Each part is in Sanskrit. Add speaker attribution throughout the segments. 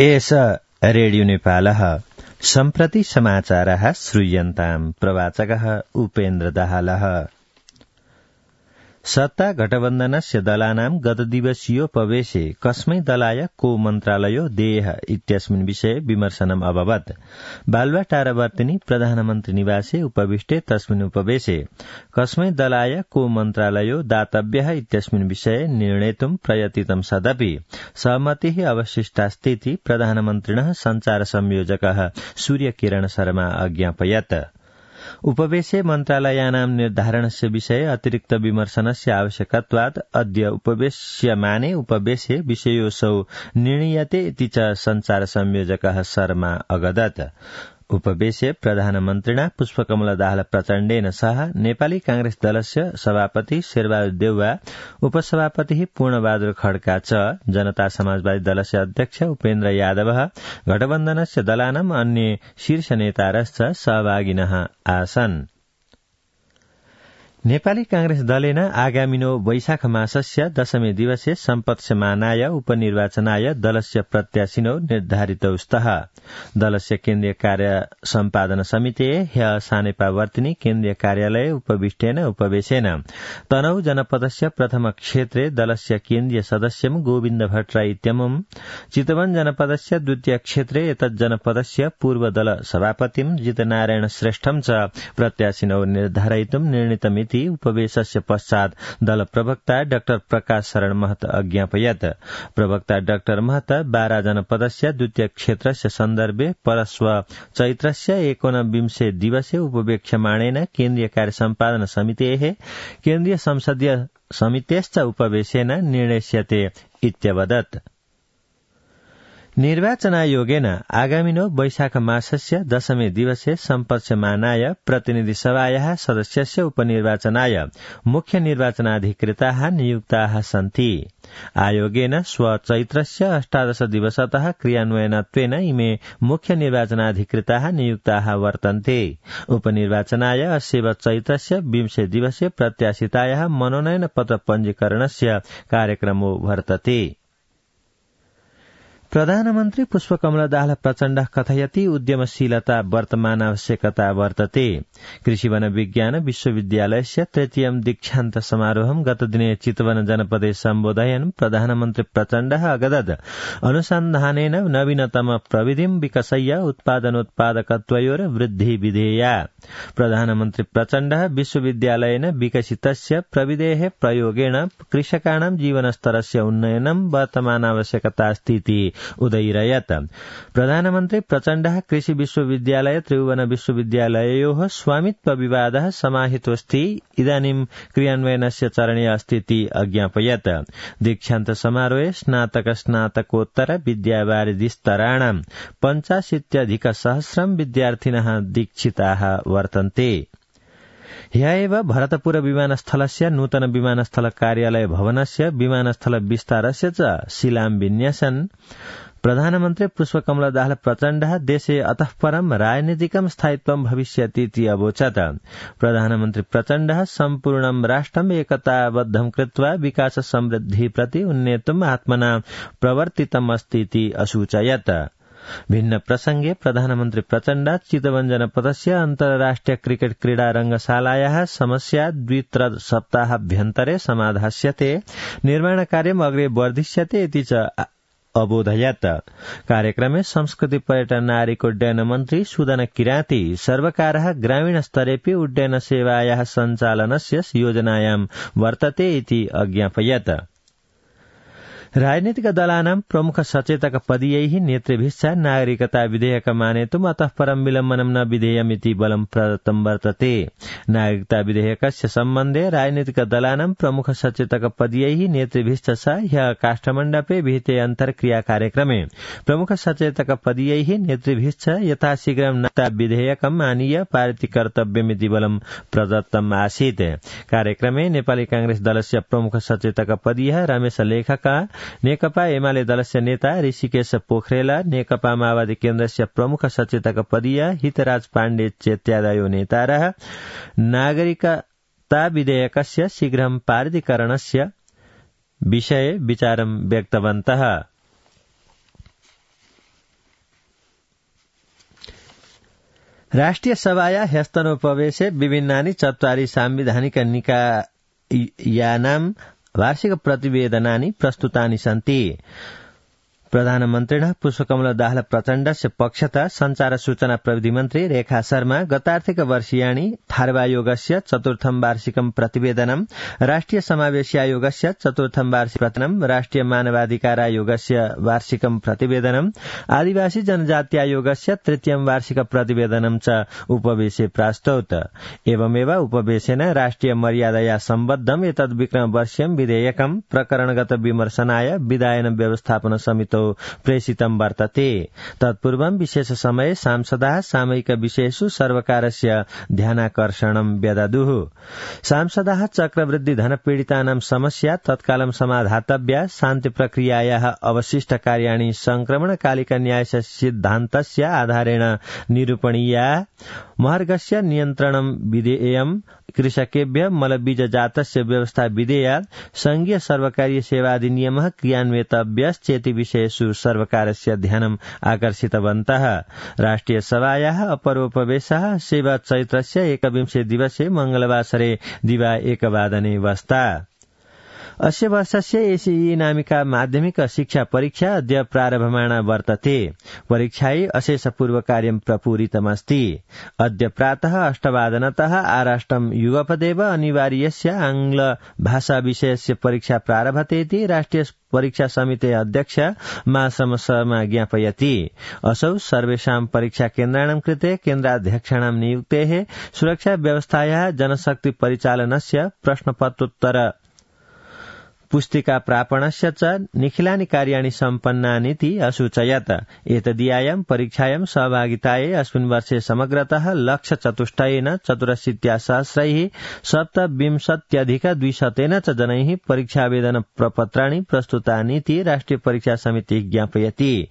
Speaker 1: एष रेडियो नेपालः सम्प्रति समाचारः श्रूयन्ताम् प्रवाचकः उपेन्द्र दाहालः। सत्ता गठबन्धनस्य दलानां गतदिवसीयोपवेशे कस्मै दलाय को मन्त्रालयो देयः इत्यस्मिन् विषये विमर्शनम् अभवत्। बालुवाटारवर्तिनि प्रधानमन्त्री निवासे उपविष्टे तस्मिन् उपवेशे कस्मै दलाय को मन्त्रालयो दातव्यः इत्यस्मिन् विषये निर्णेतुं प्रयतितं सदपि सहमतिः अवशिष्टास्तीति प्रधानमन्त्रिणः सञ्चार संयोजकः सूर्यकिरण शर्मा अज्ञापयत्। उपवेशे मन्त्रालयानां निर्धारणस्य विषये अतिरिक्त विमर्शनस्य आवश्यकत्वात् अद्य उपवेश्यमाने उपवेशे विषयोऽसौ निर्णीयते इति च सञ्चार संयोजकः शर्मा अगदत्। उपवेशे प्रधानमन्त्रिणा पुष्पकमल दाहाल प्रचण्डेन सह नेपाली कांग्रेस दलस्य सभापति शेरबहादुर देउवा, उपसभापति पूर्णबहादुर खड्का च जनता समाजवादी दलस्य अध्यक्ष उपेन्द्र यादव गठबन्धनस्य दलानाम् अन्य शीर्ष नेतारश्च सहभागिनः आसन्। नेपाली कांग्रेस दलेन आगामिनो वैशाख मासस्य दशमे दिवसे सम्पत्स्यमानाय उपनिर्वाचनाय दलस्य प्रत्याशिनो निर्धारितौ स्तः। दलस्य केन्द्रीय कार्य सम्पादन समितिः ह्यः सानेपावर्तिनि केन्द्रीय कार्यालये उपविष्टेन उपवेशेन तनहु जनपदस्य प्रथम क्षेत्रे दलस्य केन्द्रीय सदस्यं गोविन्द भट्टराई इत्यमुं, चितवन जनपदस्य द्वितीय क्षेत्रे एतज्जनपदस्य पूर्व दल सभापतिं जितनारायण श्रेष्ठं च प्रत्याशिनौ निर्धारयितुं निर्णीतमिति उपवेशस्य पश्चात् दल प्रवक्ता डाक्टर प्रकाश शरण महत अज्ञापयत्। प्रवक्ता डाक्टर महत बारा जनपदस्य द्वितीय क्षेत्रस्य सन्दर्भे परश्व चैत्रस्य 19 दिवसे उपवेक्ष्यमाणेन केन्द्रीय कार्य सम्पादन समितेः केन्द्रीय संसदीय समितेश्च उपवेशेन निर्णेष्यते इत्यवदत्। निर्वाचनायोगेन आगामिनो वैशाख मासस्य दशमे दिवसे सम्पत्स्यमानाय प्रतिनिधि सभायाः सदस्यस्य उपनिर्वाचनाय मुख्य निर्वाचनाधिकृताः नियुक्ताः सन्ति। आयोगेन स्वचैत्रस्य 18 दिवसतः क्रियान्वयनत्वेन इमे मुख्य निर्वाचनाधिकृताः नियुक्ताः वर्तन्ते। उपनिर्वाचनाय अस्यैव चैत्रस्य 20 दिवसे प्रत्याशितायाः मनोनयन पत्र पञ्जीकरणस्य कार्यक्रमो वर्तते। प्रधानमन्त्री पुष्पकमल दाहाल प्रचण्डः कथयति उद्यमशीलता वर्तमान आवश्यकता वर्तते। कृषि वन विज्ञान विश्वविद्यालयस्य तृतीयं दीक्षान्त समारोहं गतदिने चितवन जनपदे सम्बोधयन् प्रधानमन्त्री प्रचण्डः अगदत् अनुसन्धानेन नवीनतम प्रविधिं विकसय्य उत्पादनोत्पादकत्वयोर वृद्धि विधेया। प्रधानमन्त्री प्रचण्डः विश्वविद्यालयेन विकसितस्य प्रविधेः प्रयोगेण कृषकाणां जीवनस्तरस्य उन्नयनं वर्तमान आवश्यकतास्तीति उदयिरयत्। प्रधानमन्त्री प्रचण्डः कृषि विश्वविद्यालय त्रिभुवन विश्वविद्यालययोः स्वामित्व विवादः समाहितोऽस्ति, इदानीं क्रियान्वयनस्य चरणे अस्तीति अज्ञापयत्। दीक्षान्त समारोहे स्नातक-स्नातकोत्तर विद्यावारिधिस्तराणां 85,000 विद्यार्थिनः दीक्षिताः वर्तन्ते। ह्यः एव भरतपुर विमानस्थलस्य नूतन विमानस्थल कार्यालय भवनस्य विमानस्थल विस्तारस्य च शिलान्यासन् प्रधानमन्त्री पुष्पकमल दाहाल प्रचण्डः देशे अतः परं राजनीतिकं स्थायित्वं भविष्यतीति अवोचत्। प्रधानमन्त्री प्रचण्डः सम्पूर्णं राष्ट्रम् एकताबद्धं कृत्वा विकास समृद्धि प्रति उन्नेतुम् आत्मना प्रवर्तितमस्तीति असूचयत्। भिन्न प्रसंगे प्रधानमन्त्री प्रचण्ड चितवन जनपदस्य अन्तर्राष्ट्रिय क्रिकेट क्रीडा रंगशालायाः समस्या 2-3 सप्ताहाभ्यन्तरे समाधास्यते, निर्माणकार्यम् अग्रे वर्धिष्यते इति च अबोधयत्। कार्यक्रमे संस्कृति पर्यटन नागरिक उड्डयन मन्त्री सुदन किराती सर्वकारः ग्रामीण स्तरेऽपि उड्डयन सेवायाः सञ्चालनस्य योजनायां वर्तते इति अज्ञापयत्। राजनीतिक दलानां प्रमुख सचेतक पदीयैः नेतृभिश्च नागरिकता विधेयकमानेतुम् अतः परं विलम्बनं न विधेयमिति बलं प्रदत्तं वर्तते। नागरिकता विधेयकस्य सम्बन्धे राजनीतिक दलानां प्रमुख सचेतक पदीयैः नेतृभिश्च ह्यः काष्ठमण्डपे विहिते अन्तर्क्रिया कार्यक्रमे प्रमुख सचेतक पदीयैः नेतृभिश्च यथाशीघ्रं नागरिकता विधेयकम् आनीय पारित कर्तव्यमिति बलं प्रदत्तम् आसीत्। कार्यक्रमे नेपाली कांग्रेस दलस्य प्रमुख सचेतक पदीयः रमेश लेखक, नेकपा एमाले दलस्य नेता ऋषिकेश पोखरेल, नेकपा माओवादी केन्द्रस्य प्रमुख सचेतक पदीय हितराज पाण्डे चेत्यादयो नेतारः नागरिकता विधेयकस्य शीघ्रं पारितीकरणस्य विषये विचारं व्यक्तवन्तः। राष्ट्रिय सभाया ह्यस्तनोपवेशे विभिन्नानि चत्वारि सांविधानिक निकायानां वार्षिक प्रतिवेदनानि प्रस्तुतानि सन्ति। प्रधानमन्त्रिणः पुष्पकमल दाहाल प्रचण्डस्य पक्षतः संचार सूचना प्रविधि मन्त्री रेखा शर्मा गतार्थिक वर्षीयाणि थार्वायोगस्य चतुर्थं वार्षिकं प्रतिवेदनं, राष्ट्रिय समावेशी आयोगस्य चतुर्थं वार्षिक प्रतिवेदनं, राष्ट्रिय मानवाधिकार आयोगस्य वार्षिकं प्रतिवेदनं, आदिवासी जनजाति आयोगस्य तृतीयं वार्षिक प्रतिवेदनं च उपवेशे प्रास्तौत। एवमेव उपवेशेन राष्ट्रिय मर्यादया सम्बद्धम् एतद्विक्रम वर्षीयं विधेयकं प्रकरणगत विमर्शनाय विधायन व्यवस्थापन समितौ प्रेषितं वर्तते। तत्पूर्वं विशेष समये सांसदाः सामयिक विषयेषु सर्वकारस्य ध्यानाकर्षणं व्यददुः। सांसदाः चक्रवृद्धि धनपीडितानां समस्या तत्कालं समाधातव्या, शान्ति प्रक्रियायाः अवशिष्ट कार्याणि संक्रमणकालिक न्यायस्य सिद्धान्तस्य आधारेण निरूपणीया, महार्घस्य नियन्त्रणं विधेयम्, कृषकेभ्यः मलबीजजातस्य व्यवस्था विधेया, संघीय सर्वकारीय सेवाधिनियमः क्रियान्वितव्यश्चेति विषयेषु सर्वकारस्य ध्यानम् आकर्षितवन्तः। राष्ट्रिय सभायाः अपरोपवेशः 7 चैत्रस्य 21 दिवसे मंगलवासरे दिवा 1 वस्ता। अस्य वर्षस्य एसीई नामिका माध्यमिक शिक्षा परीक्षा अद्य प्रारभमाणा वर्तते। परीक्षायै अशेषपूर्वकार्यं प्रपूरितमस्ति। अद्य प्रातः 8:00 आराष्ट्रं युगपदेव अनिवार्यस्य आंग्ल भाषा विषयस्य परीक्षा प्रारभतेति राष्ट्रिय परीक्षा समिते अध्यक्ष मासम शर्मा ज्ञापयति। असौ सर्वेषां परीक्षा केन्द्राणां कृते केन्द्राध्यक्षाणां नियुक्तेः, सुरक्षा व्यवस्थायाः, जनशक्ति परिचालनस्य, प्रश्नपत्रोत्तर पुस्तिका प्रापणस्य च निखिलानि कार्याणि सम्पन्नानीति असूचयत्। एतदीयायां परीक्षायां सहभागितायै अस्मिन् वर्षे समग्रतः 1,84,000 27,200 च जनैः परीक्षावेदन प्रपत्राणि प्रस्तुतानीति राष्ट्रिय परीक्षा समिति ज्ञापयति।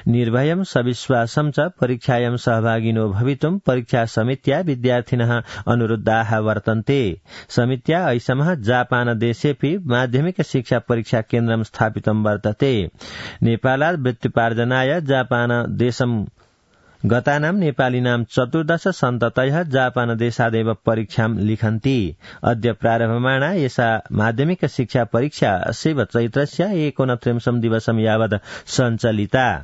Speaker 1: निर्भयं सविश्वासं च परीक्षायां सहभागिनो भवितुं परीक्षा समित्या विद्यार्थिनः अनुरुद्धाः वर्तन्ते। समित्या ऐसमः जापान देशेऽपि माध्यमिक शिक्षा परीक्षा केन्द्रं स्थापितं वर्तते। नेपालात् वृत्त्युपार्जनाय जापान देशं गतानां नेपालिनां 14 सन्ततयः जापान देशादेव परीक्षां लिखन्ति। अद्य प्रारभमाणा एषा माध्यमिक शिक्षा परीक्षा 7 चैत्रस्य 29 दिवसं यावत् सञ्चलिता।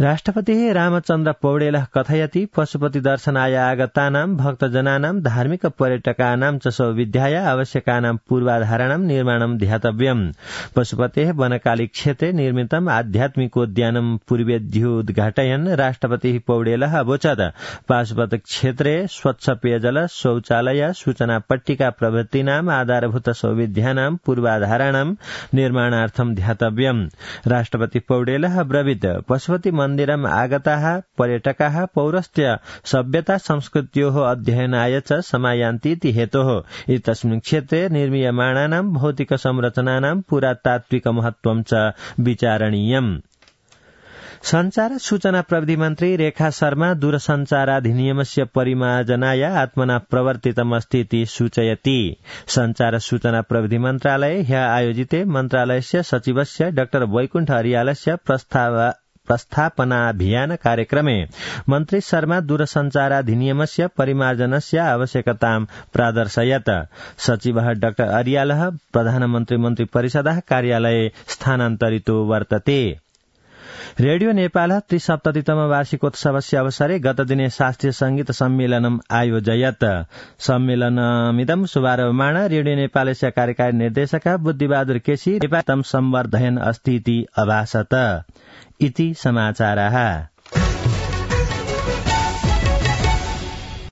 Speaker 1: राष्ट्रपतिः रामचन्द्र पौडेलः कथयति पशुपति दर्शनाय आगतानां भक्तजनानां धार्मिक पर्यटकानां च सौविध्याय आवश्यकानां पूर्वाधाराणां निर्माणं ध्यातव्यम्। पशुपतेः वनकाली क्षेत्रे निर्मितम् आध्यात्मिकोद्यानं पूर्वेद्युद्घाटयन् राष्ट्रपतिः पौडेलः अवोचत् पाशुपत क्षेत्रे स्वच्छ पेयजल, शौचालय, सूचना पट्टिका प्रभृतीनाम् आधारभूत सौविध्यानां पूर्वाधाराणां निर्माणार्थं ध्यातव्यम्। राष्ट्रपति पौडेलः अब्रवीत् पशुपति मन्दिरम् आगताः पर्यटकाः पौरस्त्य सभ्यता संस्कृत्योः अध्ययनाय च समायान्तीति हेतोः एतस्मिन् क्षेत्रे निर्मीयमाणानां भौतिक संरचनानां पुरातात्विक महत्त्वं च विचारणीयम्। संचार सूचना प्रविधि मन्त्री रेखा शर्मा दूरसञ्चाराधिनियमस्य परिमार्जनाय आत्मना प्रवर्तितमस्तीति सूचयति। संचार सूचना प्रविधि मन्त्रालये ह्यः आयोजिते मन्त्रालयस्य सचिवस्य डॉ वैकुण्ठ अरियालस्य प्रस्थापनाभियान कार्यक्रमे मन्त्री शर्मा दूरसञ्चाराधिनियमस्य परिमार्जनस्य आवश्यकतां प्रादर्शयत्। सचिवः डॉ अरियालः प्रधानमन्त्री मन्त्रिपरिषदः कार्यालये स्थानान्तरितो वर्तते। रेडियो नेपालः 73तम वार्षिकोत्सवस्य अवसरे गतदिने शास्त्रीय संगीत सम्मेलनम् आयोजयत्। सम्मेलनमिदं शुभारम्भमाण रेडियो नेपालस्य कार्यकारी निर्देशकः बुद्धिबहादुर केसी नेपालम् संवर्धयन् अस्ति इति अभासत। इति समाचारः।